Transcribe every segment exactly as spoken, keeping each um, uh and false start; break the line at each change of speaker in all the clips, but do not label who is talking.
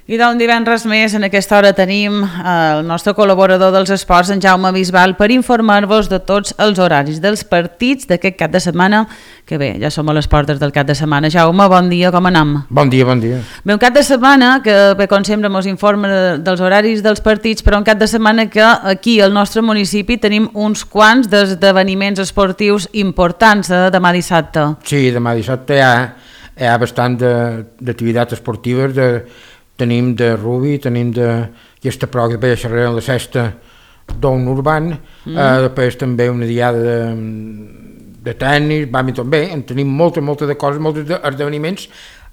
I d'un divendres més, en aquesta hora tenim el nostre col·laborador dels esports, en Jaume Bisbal, per informar-vos de tots els horaris dels partits d'aquest cap de setmana, que bé, ja som a les portes del cap de setmana. Jaume, bon dia, com anem?
Bon dia, bon dia.
Bé, un cap de setmana que, bé, com sempre, ens informa dels horaris dels partits, però un cap de setmana que aquí, al nostre municipi, tenim uns quants d'esdeveniments esportius importants, eh, demà dissabte.
Sí, demà dissabte hi ha, hi ha bastant d'activitats esportives, de tenim de rugby, tenim d'aquesta prova que veia xerrar en la sexta d'un urban, mm. eh, després també una diada de, de tennis, bàdminton, bé, en tenim molta, molta de coses, molts esdeveniments,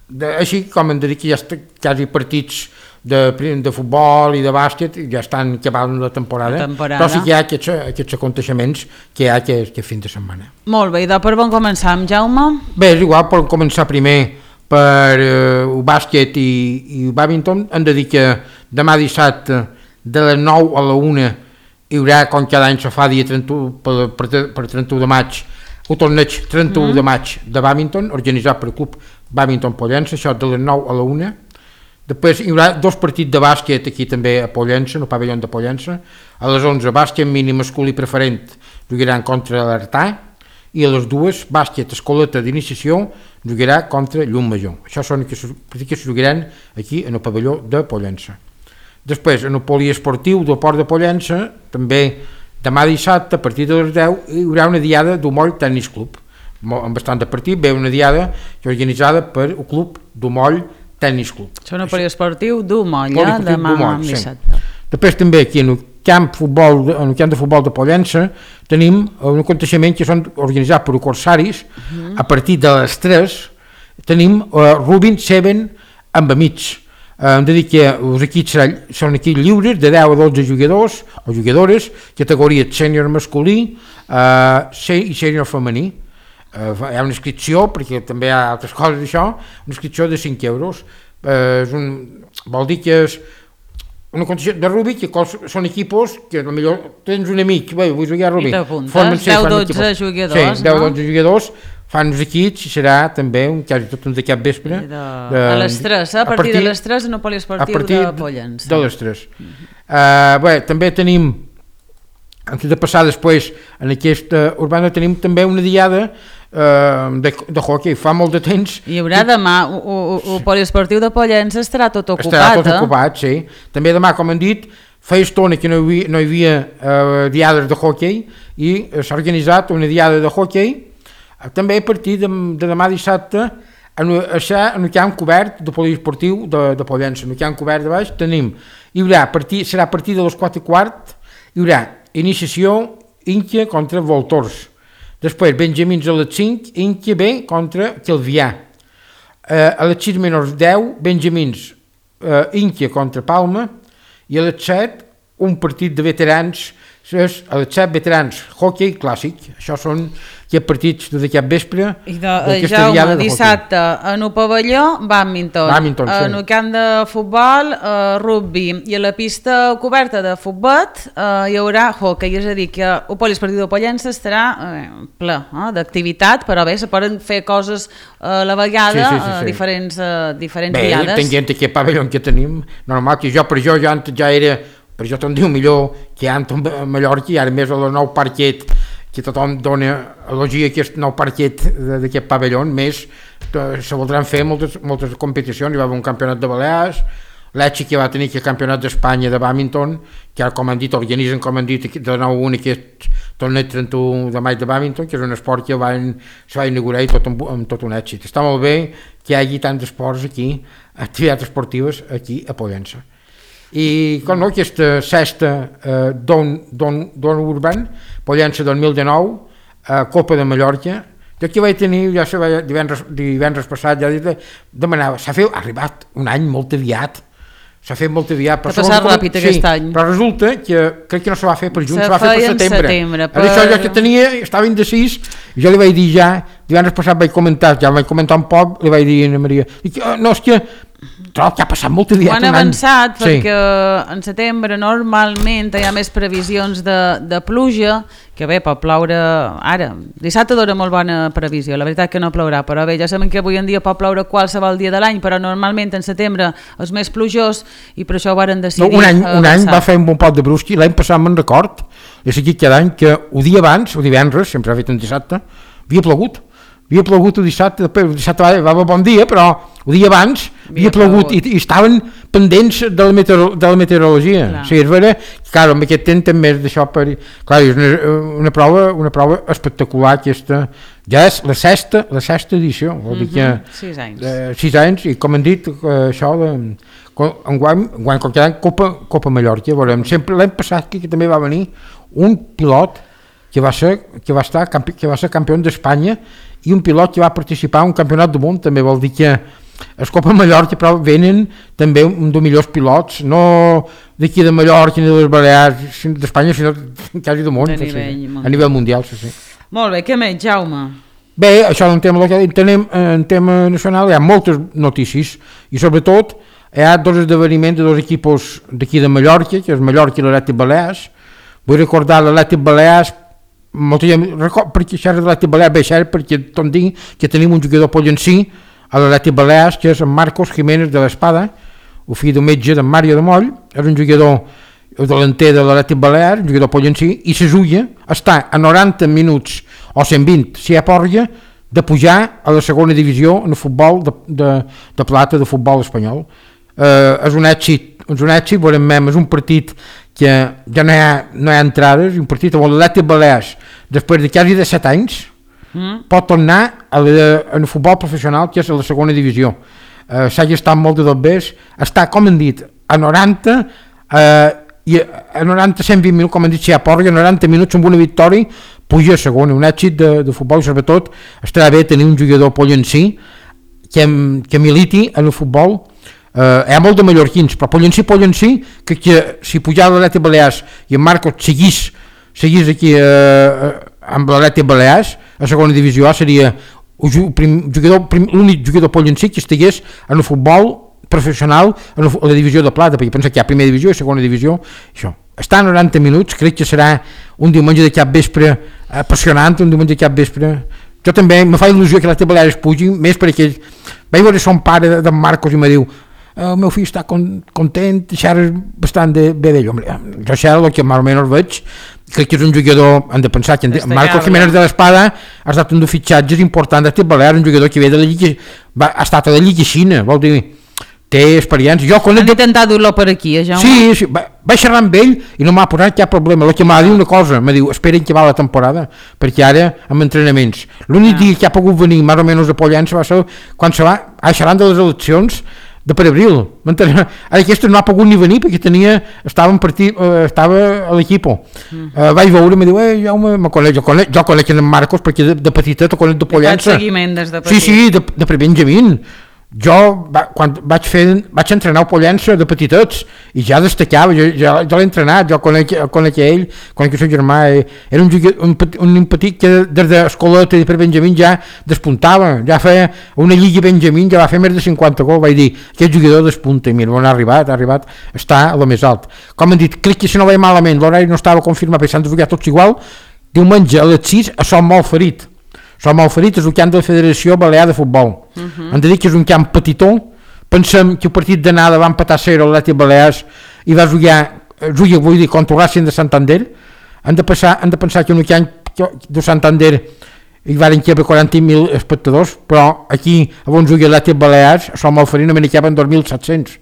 de, així com hem de dir que ja està quasi partits de, de futbol i de bàsquet, ja estan acabant la temporada, la temporada, però sí que hi ha aquests, aquests aconteixements que hi ha aquest, aquest fin de setmana.
Molt bé, i de per on començam, Jaume?
Bé, és igual, per començar primer per eh, el bàsquet i, i el bàdminton. Hem de dir que demà dissabte de les nou a la una hi haurà, com cada any se fa, dia trenta-u, per, per, per trenta-u de maig, el torneig trenta-u mm. de maig de bàdminton, organitzat per el Club Bàdminton Pollença, això de les nou a la una. Després hi haurà dos partits de bàsquet aquí també a Pollença, en el pavelló de Pollença. A les onze, bàsquet mínim masculí preferent jugaran contra l'Artà, i a les dues, bàsquet escoleta d'iniciació jugarà contra Llum Major. Això són els partits que es jugaran aquí en el pavelló de Pollença. Després, en el poliesportiu del Port de Pollença, també demà dissabte, a partir de les deu, hi haurà una diada d'Umoll Tennis Club. Amb bastant de partit, ve una diada organitzada per el Club d'Umoll Tennis Club.
Això és un poliesportiu d'Umoll, eh? Demà dissabte.
Sí. Després també aquí en el camp, futbol, en el camp de futbol de Pollença tenim un aconteixement que són organitzats per els corsaris. Uh-huh. A partir de les tres tenim uh, Rubin Seven amb amics. Uh, hem de dir que els equips són equips lliures de deu a dotze jugadors o jugadores, categoria sènior masculí uh, i sènior femení. Uh, hi ha una inscripció, perquè també hi ha altres coses d'això, una inscripció de cinc euros. Uh, és un, vol dir que és una condició de rugby, que són equipos que potser tens un amic, bé, vull jugar a rugby.
I t'apuntes, deu dotze jugadors,
sí, deu dotze jugadors, fan els equips i serà també un, quasi tot un de cap vespre.
De, de, a les tres, a, a partir, partir de les tres en el poliesportiu de Pollença.
De les tres. Uh-huh. Uh, bé, també tenim, antes de passar després en aquesta urbana, tenim també una diada uh, de, de hockey, fa molt de temps.
Hi haurà i, demà, el poliesportiu de Pollença estarà tot ocupat.
Estarà tot
eh?
ocupat, sí. També demà, com han dit, feia estona que no hi havia, no hi havia uh, diades de hockey i s'ha organitzat una diada de hockey, uh, també a partir de, de demà dissabte, en, en el camp cobert de poliesportiu de, de Pollença. En el camp cobert de baix tenim, hi haurà, partir, serà a partir de les quatre i quart, hi haurà iniciació Inca contra Voltors. Després, Benjamins a les cinc, Inca B contra Calvià. Eh, a les sis menys deu, Benjamins, eh, Inca contra Palma, i a les set, un partit de veterans, a les set veterans, hockey clàssic. Això són aquests partits de cap vespre.
I de, Jaume, dissabte, en el pavelló, bàdminton,
bàdminton sí.
En el camp de futbol, eh, rugby, i a la pista coberta de futbol eh, hi haurà hockey, és a dir, que el poliesportiu de Pollença estarà eh, ple eh, d'activitat, però bé, se poden fer coses eh, a la vegada, sí, sí, sí, sí. Eh, diferents, eh, diferents
bé,
diades.
Bé, tenint aquest pavelló que tenim, normal que jo per jo ja, ja era, per això te'n diu millor que antes a Mallorca, i ara més a la nou parquet, que tothom dona elogia aquest nou parquet d'aquest pavelló, més se voldran fer moltes, moltes competicions. Hi va haver un campionat de Balears, l'Etxi que va tenir el campionat d'Espanya de bàdminton, que ara, com han dit, organitzen, com han dit, de nou un aquest torneig trenta-u de maig de bàdminton, que és un esport que van, se va inaugurar i tot amb, amb tot un èxit. Està molt bé que hi hagi tants esports aquí, activitats esportives aquí a Pollença. I com no, aquesta sexta eh, Don, Don, Don Urban, Pollença dos mil dinou, eh, Copa de Mallorca, jo aquí vaig tenir, ja se va, divendres, divendres passat, ja de, demanava, s'ha fet, ha arribat un any molt aviat, s'ha fet molt aviat.
S'ha passat com, ràpid aquest
sí, any. Però resulta que crec que no se va fer per juny, se, se va fer per setembre. setembre per... Això jo que tenia, estava indecis, jo li vaig dir ja, divendres passat vaig comentar, ja el vaig comentar un poc, li vaig dir a Maria, dic, oh, no, és que trobo que ha passat molt aviat
ho han
un any.
avançat
Sí.
perquè en setembre normalment hi ha més previsions de, de pluja, que bé, pot ploure ara. Dissabte dona molt bona previsió, la veritat que no plourà, però bé, ja sabem que avui en dia pot ploure qualsevol dia de l'any, però normalment en setembre és més plujós i per això ho varen decidir
No, un any, un any
avançar.
va fer un bon pot de brusqui, l'any passat me'n record, he seguit cada any que el dia abans, el divendres, sempre ha fet un dissabte, havia plogut. Havia plogut el dissabte, després el dissabte va, va bon dia, però el dia abans havia, havia plogut, plogut. I, i estaven pendents de la, meteoro, de la meteorologia. Clar. Sí, és vera, clar, amb aquest temps també és d'això per... Clar, és una, una, prova, una prova espectacular aquesta, ja és la sexta, la sexta edició, vol dir que...
Mm-hmm. Sis anys.
Eh, sis anys, i com han dit, eh, això de... Enguany, enguany com cada any, Copa, Copa Mallorca, veurem, sempre l'any passat que, que també va venir un pilot que va ser, que va estar, campi, que va ser campió d'Espanya i un pilot que va participar en un campionat del món, també vol dir que els Copa Mallorca però venen també un dels millors pilots, no d'aquí de Mallorca ni de les Balears d'Espanya, sinó quasi del món,
a nivell,
sí, a nivell mundial, sí, sí.
Molt bé, què més, Jaume?
Bé, això en tema local, tenem, en tema nacional hi ha moltes notícies i sobretot hi ha dos esdeveniments de dos equipos d'aquí de Mallorca, que és Mallorca i l'Atlètic Balears. Vull recordar l'Atlètic Balears, molta gent record, perquè això és l'Atlètic Balears, bé, cert, perquè tot dic que tenim un jugador pollencí a l'Atlètic Balears, que és en Marcos Jiménez de l'Espada, el fill d'un metge d'en Mario de Moll, és un jugador delanter de l'Atlètic Balears, un jugador pollencí, i se juga està a noranta minuts o cent vint, si hi ha porga, de pujar a la segona divisió en el futbol de, de, de plata de futbol espanyol. Eh, és un èxit, és un èxit, veurem mem, és un partit que ja no hi ha, no hi ha entrades, un partit on l'Atlètic Balears, després de quasi de set anys, mm. pot tornar a la, en el futbol professional, que és a la segona divisió. Eh, S'ha estat molt de dobbers, està, com hem dit, a noranta, eh, i a noranta a cent vint minuts, com hem dit, si hi ha porga, a noranta minuts amb una victòria, puja a segona, un èxit de, de futbol, i sobretot estarà bé tenir un jugador pollencí que, que militi en el futbol. Uh, hi ha molt de mallorquins, però Pollencí, Pollencí, que, que si pujava l'Atlètic Balears i en Marcos seguís, seguís aquí uh, amb l'Atlètic Balears, a segona divisió seria l'únic jugador Pollencí que estigués en el futbol professional en la divisió de plata, perquè pensa que hi ha primera divisió i segona divisió, això. Està a noranta minuts, crec que serà un diumenge de cap vespre apassionant, un diumenge de cap vespre. Jo també me fa il·lusió que l'Atlètic Balears pugi, més perquè vaig veure son pare d'en Marcos i me diu el meu fill està content, xerres bastant de, bé d'ell. Jo xerro el que més o menys veig, crec que és un jugador, hem de pensar que Marcos Jiménez de l'Espada ha estat un dels fitxatges importants d'Atlètic Balears, un jugador que ve de la Lliga, va, ha estat a la Lliga Xina, vol dir, té experiència. Jo,
Han intentat dur-lo per aquí, eh, Jaume?
Sí, sí, va, vaig xerrar amb ell i no m'ha posat cap problema. El que m'ha dit una cosa, m'ha dit, esperen que va la temporada, perquè ara amb entrenaments. L'únic ah. dia que ha pogut venir més o menys de Pollença va ser quan se va, a xerrar de les eleccions de per abril. Ara aquesta no ha pogut ni venir perquè tenia, estava, en partit, eh, estava a l'equip. Mm. Eh, vaig veure i em diu, eh, Jaume, me conec, jo conec, jo conec en Marcos perquè de, de petitet ho conec de Pollença.
Faig seguiment des de petit.
Sí, sí, de, de per Benjamín. Jo, va, quan vaig, fer, vaig entrenar a Pollença de petitets i ja destacava, jo, jo, jo l'he entrenat, jo conec, conec ell, conec el seu germà, eh, era un, un, un petit que des d'escoleta i per Benjamín ja despuntava, ja feia una lliga Benjamín, ja va fer més de cinquanta gols, vaig dir, aquest jugador despunta, i mira, on ha arribat, ha arribat, està a lo més alt. Com han dit, crec que si no veia malament, l'horari no estava confirmat, perquè s'han de jugar tots igual, diumenge a les sis a Som molt ferit. Som molt ferit és el camp de la Federació Balear de Futbol. Uh-huh. Hem de dir que és un camp petitó. Pensem que el partit d'anada va empatar a zero a l'Atlètic Balears i va jugar, jugar vull dir, contra el Racing de Santander. Hem de, passar, hem de pensar que en un camp de Santander hi van caber quaranta mil espectadors, però aquí, on juga l'Atlètic Balears, a Som molt ferit només hi caben dos mil set-cents.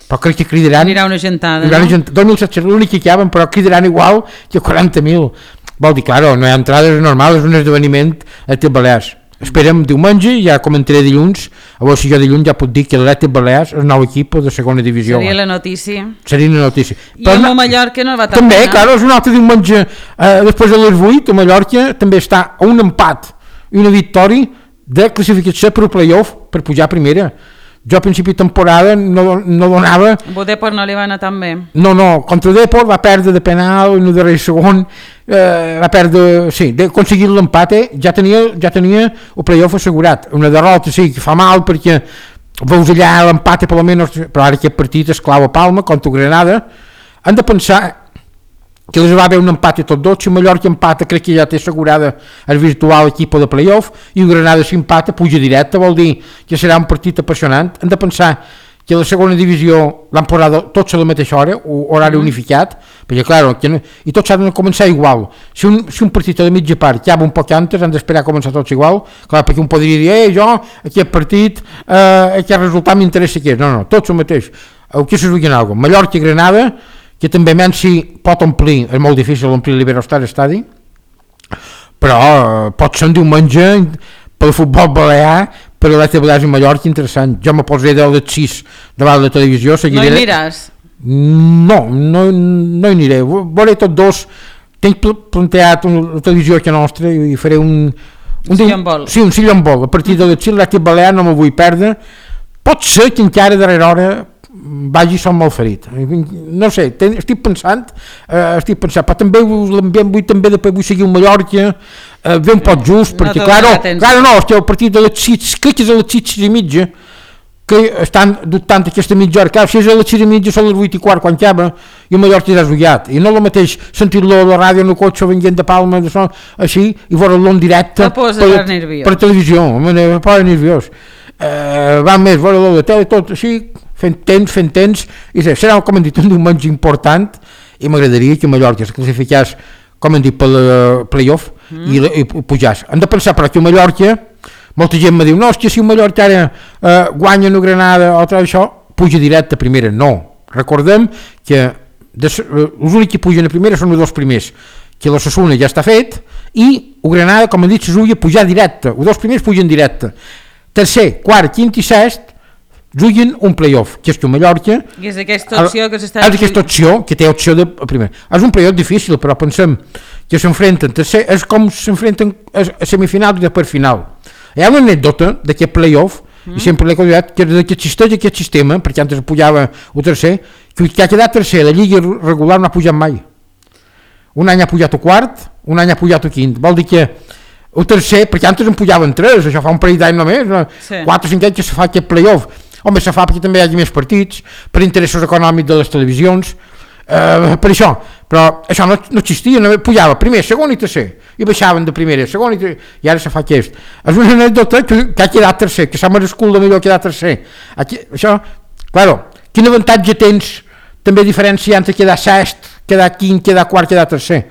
Però crec que cridaran...
Anirà una gentada,
no?
Gent,
dos mil set-cents, l'únic que caben, però cridaran igual que quaranta mil. Vol dir, claro, no hi ha entrades normals, és un esdeveniment a l'Atlètic Balears. Esperem diumenge, ja comentaré dilluns, a veure si jo dilluns ja puc dir que l'Atlètic Balears és el nou equip de segona divisió.
Seria la notícia.
Seria la notícia.
I Però, a Mallorca no va tant.
També, claro, és un altre diumenge, eh, després de les vuit, a Mallorca també està a un empat i una victòria de classificació per playoff per pujar a primera. Jo a principi de temporada no, no donava...
A Depor no li va anar tan bé.
No, no, contra Depor va perdre de penal en el darrer segon, eh, va perdre, sí, d'aconseguir l'empat, eh, ja tenia, ja tenia el playoff assegurat. Una derrota sí que fa mal perquè veus allà l'empat per almenys, però ara aquest partit és clau a Palma contra Granada, han de pensar que els va haver un empat a tots dos. Si Mallorca empata crec que ja té assegurada el virtual equip de playoff, i el Granada si empata puja directe, vol dir que serà un partit apassionant. Han de pensar que la segona divisió l'han posat tots a la mateixa hora, horari mm. unificat, perquè clar, que no, i tots han de començar igual. Si un, si un partit a la mitja part acaba un poc antes, han d'esperar a començar tots igual, clar, perquè un podria dir, eh, jo, aquest partit, eh, aquest resultat m'interessa que és. No, no, tots el mateix. El que se jugui en alguna cosa. Mallorca i Granada, que també Mensi pot omplir, és molt difícil omplir l'Iberostar Estadi, però eh, pot ser un diumenge pel futbol balear, per a l'Atlètic Balears i Mallorca, interessant. Jo me posaré de les sis davant de la televisió.
Seguiré... No hi aniràs?
No, no, no hi aniré. Veuré tots dos. Tinc planteat la televisió aquí nostra i faré un...
Un sillon-bol.
Sí, un sillon-bol. A partir de les sis l'Atlètic Balear no me vull perdre. Pot ser que encara darrere hora vagi som molt ferit. No sé, ten, estic pensant, eh, estic pensant, però també l'ambient vull també després vull seguir un Mallorca, eh, ve un poc just, no, perquè clar, no, clar, no, estic al partit de les sis, crec que és a les sis i mitja, que estan dubtant aquesta mitja hora, clar, si és a les sis i mitja són les vuit i quart quan acaba, i el Mallorca ja és ullat, i no el mateix sentir-lo a la ràdio en el cotxe venint de Palma, de son, així, i veure-lo en directe
per,
per televisió, me posa nerviós. Eh, va més, veure-lo de tele, tot així, fent temps, fent temps, i sé, serà, com hem dit, un diumenge important, i m'agradaria que Mallorca es classificés, com hem dit, pel uh, playoff, mm. i, i pujàs. Hem de pensar, però que Mallorca, molta gent me diu, no, hòstia, si Mallorca ara uh, guanya una Granada o tot això, puja directe a primera. No, recordem que de, uh, els únics que pugen a primera són els dos primers, que l'Osasuna ja està fet, i el Granada, com hem dit, se jugui a pujar directe, els dos primers pugen directe. Tercer, quart, quint i sest juguen un playoff, que és que Mallorca...
I és aquesta opció que s'està...
És aquesta opció, que té opció de primer. És un playoff difícil, però pensem que s'enfrenten, tercer, és com s'enfrenten a semifinal i després final. Hi ha una anècdota d'aquest playoff, mm. i sempre l'he convidat, que, que existeix aquest sistema, perquè antes pujava el tercer, que, que ha quedat tercer, la lliga regular no ha pujat mai. Un any ha pujat a quart, un any ha pujat a quint. Vol dir que el tercer, perquè antes en pujaven tres, això fa un parell d'any només, sí. quatre o cinc anys que se fa aquest playoff. Home, se fa perquè també hi hagi més partits, per interessos econòmics de les televisions, eh, per això, però això no, no existia, no, pujava primer, segon i tercer, i baixaven de primera, segon i tercer, i ara se fa aquest. És una anècdota que, que ha quedat tercer, que s'ha merescut de millor quedar tercer. Aquí, això, claro, quin avantatge tens també diferència entre quedar sest, quedar quint, quedar quart, quedar tercer?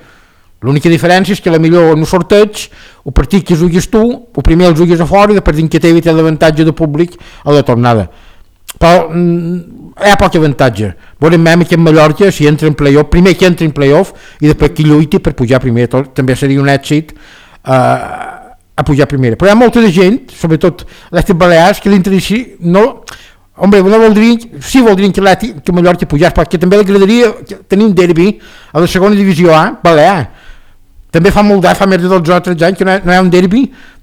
L'única diferència és que la millor en el sorteig, el partit que juguis tu, el primer el juguis a fora i després que té l'avantatge de públic a la tornada. Però mm, hi ha poc avantatge. Veurem que en Mallorca, si entra en playoff, primer que entra en playoff i després que lluiti per pujar primer, tot, també seria un èxit eh, a pujar primer. Però hi ha molta de gent, sobretot l'Atlètic Balears, que l'interessi no... Home, no voldrien, sí voldrien que, que Mallorca pujàs, perquè també l'agradaria tenir un derbi a la segona divisió A, Balear. També fa molt d'any, fa més de dotze o tretze anys que no hi ha, no hi ha un derbi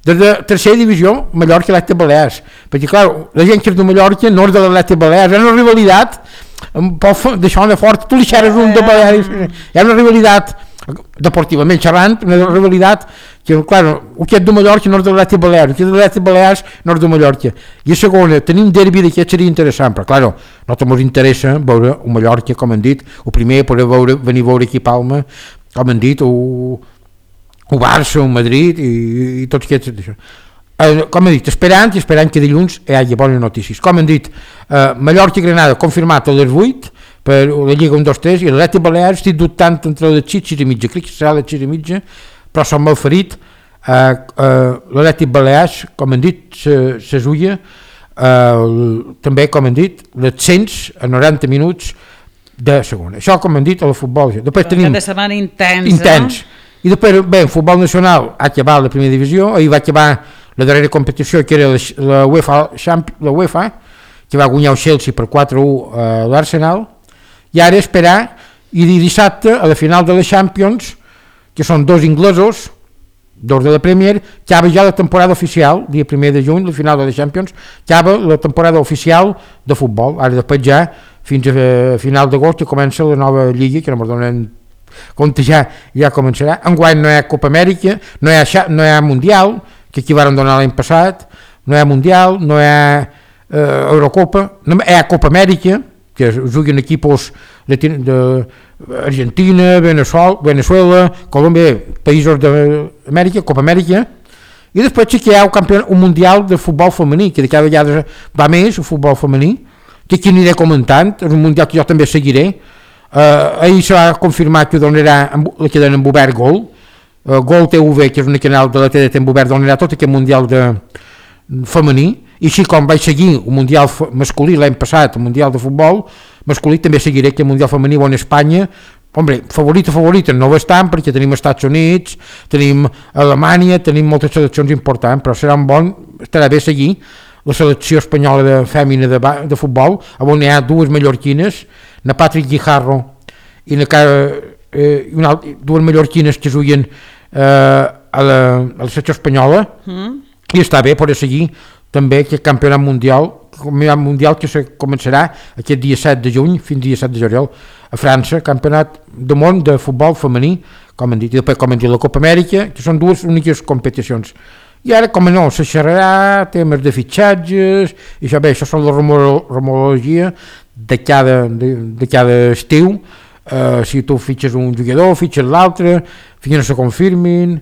de la tercera divisió Mallorca i l'Atlètic Balears, perquè clar, la gent que és de Mallorca no és de l'Atlètic Balears, hi ha una rivalitat d'això de fort, tu li xerres un de Balears, hi ha una rivalitat deportivament xerrant, una rivalitat que clar, el que és de Mallorca no és de l'Atlètic Balears, el que és de l'Atlètic Balears no és de Mallorca, i a segona tenir un derbi d'aquest seria interessant, però clar, no ens interessa veure un Mallorca, com han dit, el primer poder veure, venir a veure aquí a Palma, com han dit, o o Barça, o Madrid i, i tots aquests això. Eh, com he dit, esperant i esperant que dilluns hi hagi bones notícies. Com hem dit, eh, Mallorca i Granada confirmat a les vuit per la Lliga un dos tres i l'Atlètic Balears estic dubtant entre les sis i mitja, crec que serà les sis i mitja, però som molt ferit. Eh, eh, l'Atlètic Balears, com hem dit, se, se zulla, eh, també, com hem dit, les cent a noranta minuts de segona. Això, com hem dit, a la futbol. Després
tenim... Cada setmana intens,
intens. No? I després, bé, el futbol nacional ha acabat la primera divisió, ahir va acabar la darrera competició, que era la, la, UEFA, la UEFA, que va guanyar el Chelsea per quatre a u a l'Arsenal, i ara esperar, i dissabte, a la final de la Champions, que són dos inglesos, dos de la Premier, acaba ja la temporada oficial, dia primer de juny, la final de la Champions, acaba la temporada oficial de futbol, ara després ja, fins a final d'agost, que comença la nova lliga, que no m'ho donen compte, ja, ja començarà. Enguany no hi ha Copa Amèrica, no hi ha, no hi ha Mundial, que aquí varen donar l'any passat, no hi ha Mundial, no hi ha eh, Eurocopa, hi ha Copa Amèrica, que juguen equipos d'Argentina, Venezuela, Venezuela, Colòmbia, països d'Amèrica, Copa Amèrica, i després sí que hi ha un, campion, un mundial de futbol femení, que de cada vegada va més el futbol femení, que aquí aniré comentant, és un mundial que jo també seguiré. Uh, ahir se va confirmar que donarà la cadena en obert Gol, uh, Gol T V, que és un canal de la T D T en obert, donarà tot aquest mundial de femení, i així com vaig seguir un mundial masculí l'any passat, el mundial de futbol masculí, també seguiré que el mundial femení on Espanya, hombre, favorita, favorita no ho estan, perquè tenim Estats Units, tenim Alemanya, tenim moltes seleccions importants, però serà un bon, estarà bé seguir la selecció espanyola de fèmina de, de futbol, on hi ha dues mallorquines, na Patrick Guijarro i na eh, una, dues mallorquines que juguen eh, a, la, a la selecció espanyola, mm. i està bé poder seguir també aquest campionat mundial, campionat mundial que se començarà aquest dia set de juny fins dia set de juliol a França, campionat del món de futbol femení, com han dit, i després com han dit la Copa Amèrica, que són dues úniques competicions. I ara, com no, se xerrarà temes de fitxatges, i això bé, això són la rumorologia de cada, de, de cada estiu, uh, si tu fitxes un jugador, fitxes l'altre, fins que no se confirmin.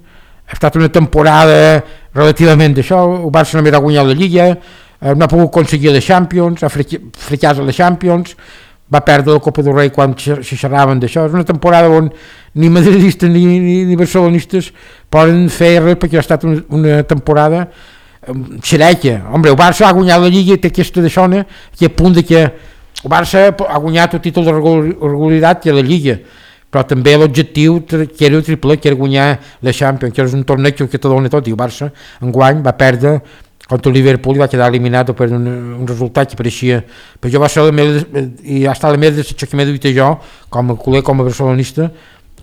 Ha estat una temporada relativament d'això, el Barça només ha guanyat la Lliga, uh, no ha pogut aconseguir la Champions, ha fracàs a la Champions, va perdre la Copa del Rei quan se xerraven d'això. És una temporada on ni madridistes ni, ni, ni barcelonistes poden fer res, perquè ha estat una, una temporada um, xereca. Hombre, el Barça ha guanyat la Lliga i té aquesta d'això, aquest punt de que el Barça ha guanyat el títol de regularitat que la Lliga, però també l'objectiu que era el triple, que era guanyar la Champions, que és un torneig que te dona tot, i el Barça enguany va perdre contra el Liverpool i va quedar eliminat per un, un resultat que pareixia, però jo va ser la meva, i ha estat la meva decepció que m'he duit jo com a culer, com a barcelonista,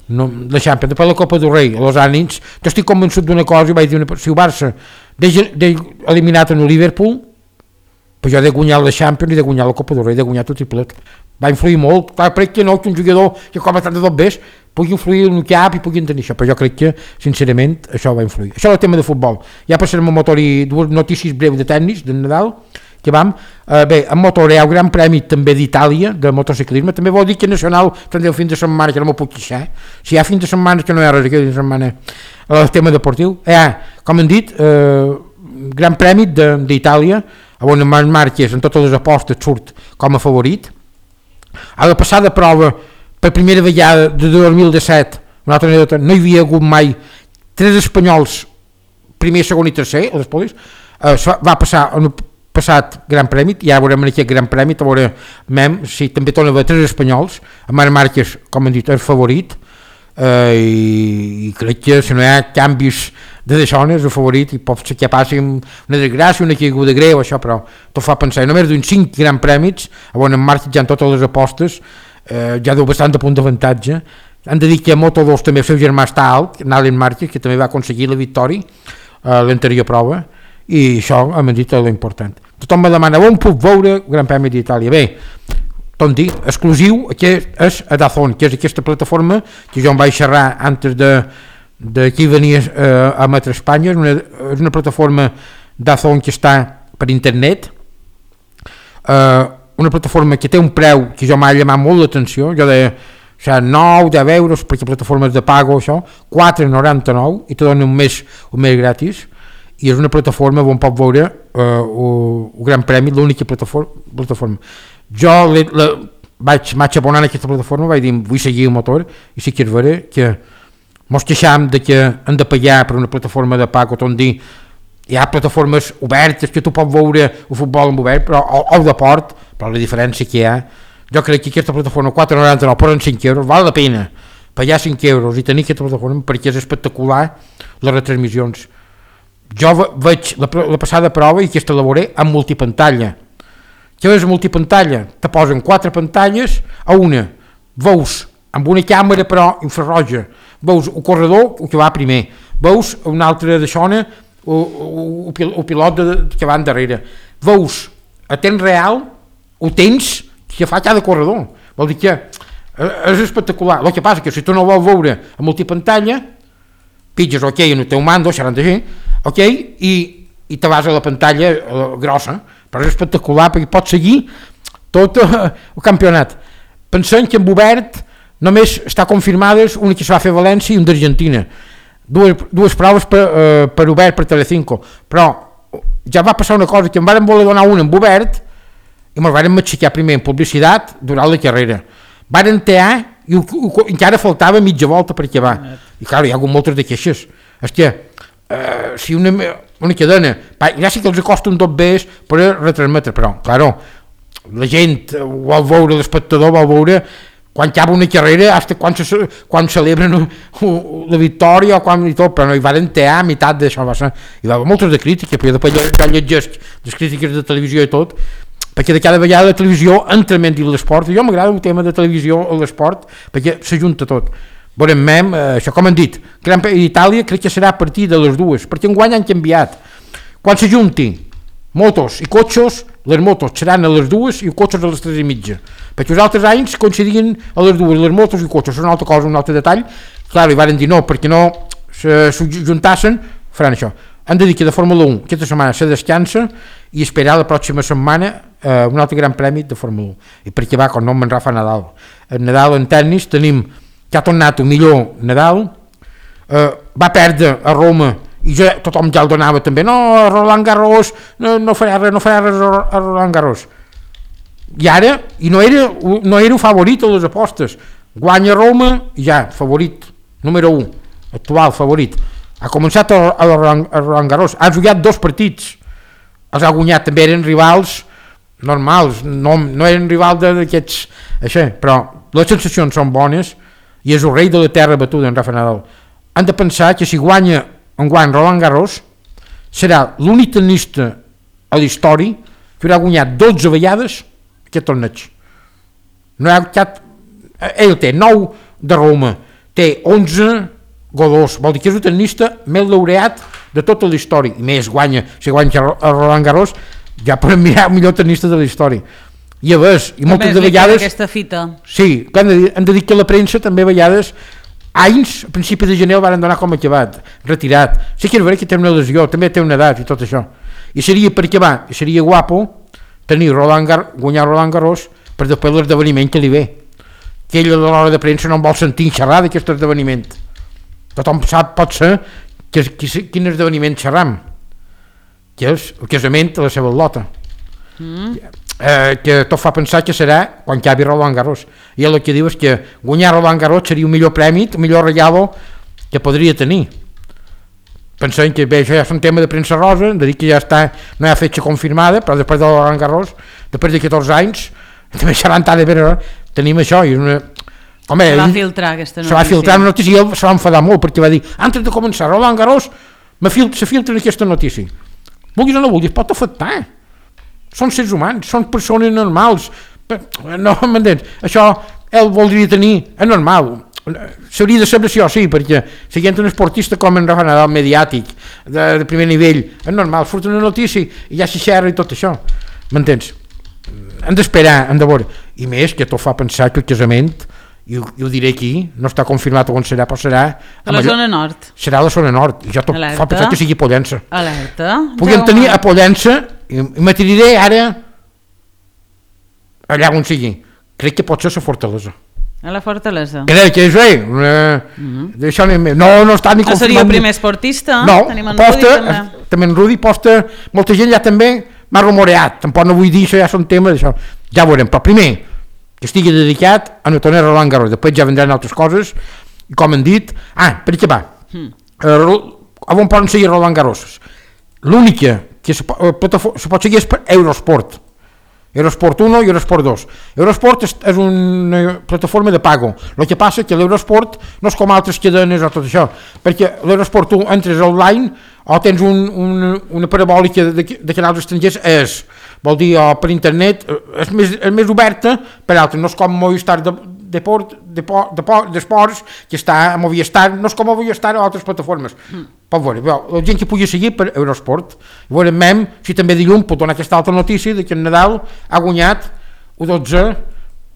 no, la Champions. Després la Copa del Rei, a los ànims, jo estic convençut d'una cosa, i vaig dir, una, si el Barça d'he eliminat en el Liverpool, però jo he de guanyar la Champions i he de guanyar la Copa del Rei, he de guanyar tot i plet. Va influir molt, clar, crec que no, que un jugador que com a tant de tot bés pugui influir en el cap i pugui tenir això, però jo crec que, sincerament, això va influir. Això és el tema de futbol. Ja passarem a motor i dues notícies breus de tècnics de Nadal, que vam. Eh, bé, en motor hi ha un gran premi també d'Itàlia, de motociclisme, també vol dir que Nacional tindrà el fin de setmana, que no m'ho puc queixar, si hi ha fin de setmana que no hi ha res, aquest fin de setmana, el tema deportiu. Hi ha, com han dit, eh, gran premi d'Itàlia, on Marc Márquez en totes les apostes surt com a favorit. A la passada prova, per primera vegada de dos mil disset, una altra anècdota, no hi havia hagut mai tres espanyols, primer, segon i tercer, a les polis, eh, va passar en el passat Gran Premi, i ara veurem en aquest Gran Premi, veurem si també torna a haver tres espanyols, en Marc Márquez, com han dit, és favorit, eh, i, i crec que si no hi ha canvis de deixones, el favorit, i pot ser que passi una desgràcia, una caiguda greu, això, però tot fa pensar, només d'un cinc Gran Prèmits, on en Márquez ja en totes les apostes, eh, ja deu bastant de punt d'avantatge. Han de dir que a Moto dos també el seu germà està alt, Nalen Márquez, que també va aconseguir la victòria a l'anterior prova, i això hem dit l'important. Tothom me demana on puc veure el Gran Premi d'Itàlia. Bé, tot dir, exclusiu, aquest és a Dazón, que és aquesta plataforma que jo em vaig xerrar antes de d'aquí venia eh, a Metre Espanya, és una, és una plataforma Dazón que està per internet, eh, una plataforma que té un preu que jo m'ha llamat molt l'atenció, jo deia o sigui, nou, deu euros, perquè plataformes de pago, això, quatre coma noranta-nou, i te dona un mes, un mes gratis, i és una plataforma on pot veure eh, el, el Gran Premi, l'única plataforma, plataforma. Jo le, le, vaig, vaig abonar en aquesta plataforma, vaig dir, vull seguir el motor, i sí que és vera que mos queixam de que hem de pagar per una plataforma de pago, tot dir, hi ha plataformes obertes que tu pots veure el futbol en obert, però, o, o de port, però la diferència que hi ha, jo crec que aquesta plataforma quatre coma noranta-nou per cinc euros, val la pena pagar cinc euros i tenir aquesta plataforma perquè és espectacular les retransmissions. Jo veig la, la passada prova i aquesta la veuré amb multipantalla. Què és multipantalla? Te posen quatre pantalles a una, veus amb una càmera però infraroja, veus el corredor el que va primer, veus una altra de xona el, el, el pilot de, que va darrere, veus a temps real ho tens que fa cada corredor, vol dir que és espectacular. El que passa que si tu no vols veure a multipantalla pitges ok en el teu mando, serà així, ok, i, i te vas a la pantalla eh, grossa, però és espectacular perquè pot seguir tot el campionat. Pensem que en Obert només està confirmades una que se va fer a València i una d'Argentina, dues, dues proves per, eh, per Obert per Telecinco, però ja va passar una cosa, que em van voler donar una en Obert i me'l van matxacar primer en publicitat durant la carrera, van entear i encara faltava mitja volta per acabar, i clar, hi ha hagut moltes de queixes. Hòstia, uh, si una, una cadena, ja sí que els costa un tot bé per retransmetre, però, clar, la gent vol veure, l'espectador vol veure quan acaba una carrera, hasta quan, se, quan celebren la victòria o quan i tot, però no hi van entear a meitat d'això, va ser, hi va haver moltes de crítiques, però després ja llegeix les crítiques de televisió i tot, perquè de cada vegada la televisió entra menys en l'esport, i jo m'agrada el tema de televisió a l'esport, perquè s'ajunta tot. Veurem, mem, eh, això com han dit, Gran Premi d'Itàlia crec que serà a partir de les dues, perquè enguany han canviat. Quan s'ajunti motos i cotxos, les motos seran a les dues i els cotxos a les tres i mitja, perquè els altres anys coincidien a les dues, les motos i cotxos, és una altra cosa, un altre detall, clar, i varen dir no, perquè no s'ajuntassen, faran això. Han de dir que de Fórmula un aquesta setmana se descansa i esperar la pròxima setmana eh, un altre gran premi de Fórmula un, i perquè va com nom en Rafa Nadal. En Nadal en tennis tenim que ha tornat el millor Nadal, eh, va perdre a Roma i ja, tothom ja el donava també, no, Roland Garros no, no farà res, no farà res a Roland Garros, i ara i no era, no era favorit a les apostes, guanya Roma i ja, favorit, número un actual favorit, ha començat a, a, a Roland Garros, ha jugat dos partits, els ha guanyat, també eren rivals normals, no, no eren rivals d'aquests, això, però les sensacions són bones i és el rei de la terra batuda en Rafa Nadal. Han de pensar que si guanya enguany Roland Garros serà l'únic tenista a la història que haurà guanyat dotze vegades aquest torneig. No hi ha cap, ell té nou de Roma, té onze Godós, vol dir que és un tenista més laureat de tota la història, i més guanya, si guanya a Roland Garros ja podem mirar el millor tenista de la història, i a veure, i moltes de vegades
aquesta fita.
Sí, han de, han de dir que la premsa també a vegades anys, a principi de gener el van donar com acabat, retirat, sí que és veritat que té una lesió, també té una edat i tot això, i seria per acabar, i seria guapo tenir Roland Gar guanyar Roland Garros per després l'esdeveniment que li ve, que ell a l'hora de premsa no en vol sentir xerrar d'aquest esdeveniment. Tothom sap, pot ser, que, que, quin esdeveniment xerram, que és el casament de la seva lota. Mm. Eh, que tot fa pensar que serà quan acabi Roland Garros. I el que diu és que guanyar Roland Garros seria un millor premi, un millor regalo que podria tenir. Pensem que bé, això ja és un tema de premsa rosa, de dir que ja està, no hi ha fetge confirmada, però després de Roland Garros, després de catorze anys, també serà entada de veure, tenim això, i una... Home,
se va filtrar aquesta notícia.
Se va filtrar una notícia i ell se va enfadar molt perquè va dir, antes de començar Roland Garros fil se filtra aquesta notícia. Vulguis o no vulguis, pot afectar. Són sers humans, són persones normals. No, m'entens? Això ell voldria tenir, és normal. S'hauria de saber sí o sí, perquè siguent un esportista com en Rafa Nadal mediàtic, de, de primer nivell, és normal, surt una notícia i ja s'hi xerra i tot això. M'entens? Hem d'esperar, hem de veure. I més que tot fa pensar que el casament, i ho, i ho diré aquí, no està confirmat on serà, però serà
a la zona nord.
Serà a la zona nord, i jo tot
Alerta.
Fa pensar que sigui Pollença.
Alerta.
Puguem tenir a Pollença, i, i m'atiré ara allà on sigui. Crec que pot ser la Fortalesa.
A la Fortalesa.
Crec que és bé. Eh, mm -hmm. No, no està ni confirmat.
No seria el primer esportista?
No,
tenim en
posta,
Rudi, també.
també en Rudi posta, molta gent ja també m'ha rumoreat, tampoc no vull dir això, ja són temes, això. Ja ho veurem, però primer que estigui dedicat a no tornar a Roland Garros, després ja vendran altres coses, i com han dit, ah, per què va? Mm. Uh, on poden seguir Roland Garros? L'única que se, uh, pot, se pot seguir és per Eurosport, Eurosport uno i Eurosport dos. Eurosport és, és una plataforma de pago, el que passa que l'Eurosport no és com altres cadenes o tot això, perquè l'Eurosport un entres online o tens un, un, una parabòlica de, de canals estrangers, és, vol dir, o per internet, és més, és més oberta per altres, no és com Movistar de, de port, de, por, de, por, d'esports, que està a Movistar, no és com a Movistar o altres plataformes. Mm. Pot veure, la gent que pugui seguir per Eurosport, veurem mem, si també dilluns pot donar aquesta altra notícia de que en Nadal ha guanyat u dotze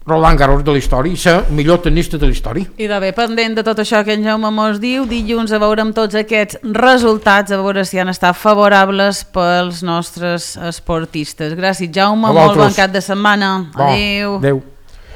Roland Garros de la història i ser el millor tenista de la història.
I de bé, pendent de tot això que en Jaume mos diu, dilluns a veure amb tots aquests resultats, a veure si han estat favorables pels nostres esportistes. Gràcies, Jaume, molt bon cap de setmana.
Bon,
adéu.
Adéu.